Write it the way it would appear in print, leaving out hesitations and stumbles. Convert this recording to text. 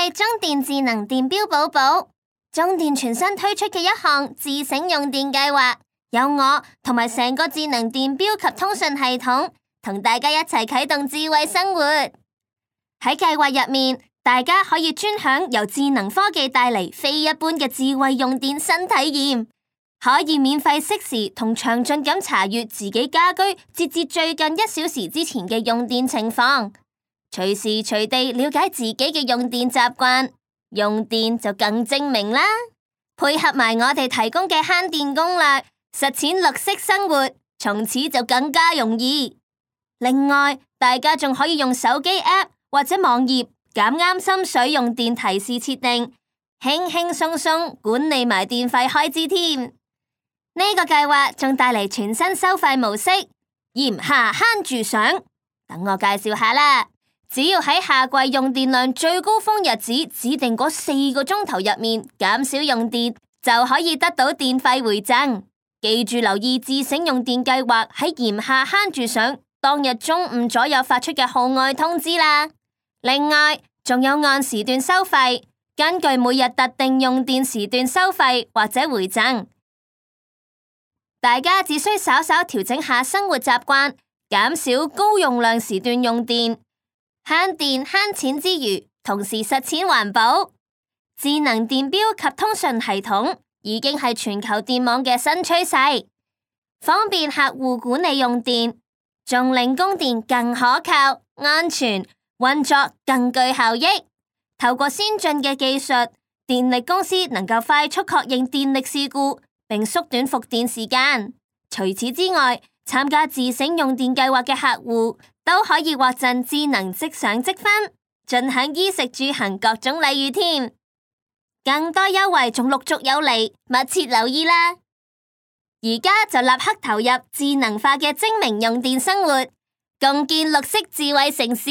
係中電智能電錶寶寶，中電全新推出嘅一項自省用電計劃，有我同埋成個智能電錶及通訊系統，同大家一齊啟動智慧生活。喺計劃入面，大家可以專享由智能科技帶嚟非一般嘅智慧用電新體驗，可以免費適時同詳盡咁查閱自己家居截至最近1小時之前嘅用電情況，隨時隨地了解自己嘅用電習慣，用電就更精明啦。配合埋我哋提供嘅慳電攻略，實踐綠色生活，從此就更加容易。另外，大家仲可以用手機 App 或者網頁揀啱心水用電提示設定，輕輕鬆鬆管理埋電費開支添。呢個計劃仲帶嚟全新收費模式，炎夏慳住賞。等我介紹下啦。只要喺夏季用電量最高峰日子指定嗰4個鐘頭入面減少用電，就可以得到電費回贈。記住留意自省用電計劃喺炎夏慳住賞當日中午左右發出嘅號外通知啦。另外，仲有按時段收費，根據每日特定用電時段收費或者回贈。大家只需稍稍調整下生活習慣，減少高用量時段用電，慳電慳錢之餘，同時實踐環保。智能電錶及通訊系統已經係全球電網嘅新趨勢，方便客戶管理用電，仲令供電更可靠、安全，運作更具效益。透過先進嘅技術，電力公司能夠快速確認電力事故，並縮短復電時間。除此之外，參加自省用電計劃嘅客戶都可以獲贈智能即賞積分，盡享衣食住行各種禮遇添。更多優惠仲陸續有嚟，密切留意啦！而家就立刻投入智能化嘅精明用電生活，共建綠色智慧城市。